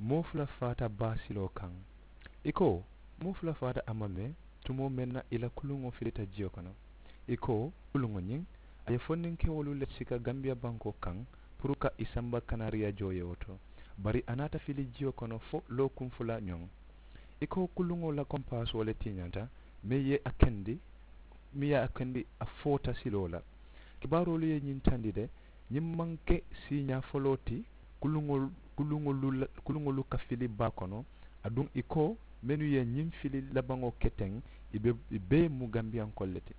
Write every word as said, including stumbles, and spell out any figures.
Moo fula faata baa siloo kaŋ. I ko moo fula faata a ma mee tumoo meŋ na i la kuluŋo filita jiyo kono. I ko kuluŋo ñiŋ a ye fondinkewolu le sika gambiya bankoo kaŋ puru ka i samba kanariya jooyewo to. Bari a naata fili jiyo kono fo lookuŋ fula ñoŋ. I ko kuluŋo la kompaasoo le tiñata meŋ ye a kendi meŋ ye a kendi a foota siloo la. Kibaaroolu ye ñiŋ tandi de ñiŋ maŋ ke siiñaa foloo ti kuluŋolu kuluŋolu la kuluŋolu ka fili baa kono. Aduŋ i ko mennu ye ñiŋ fili labaŋo ke teŋ i be i bee mu gambiyankoolu le ti.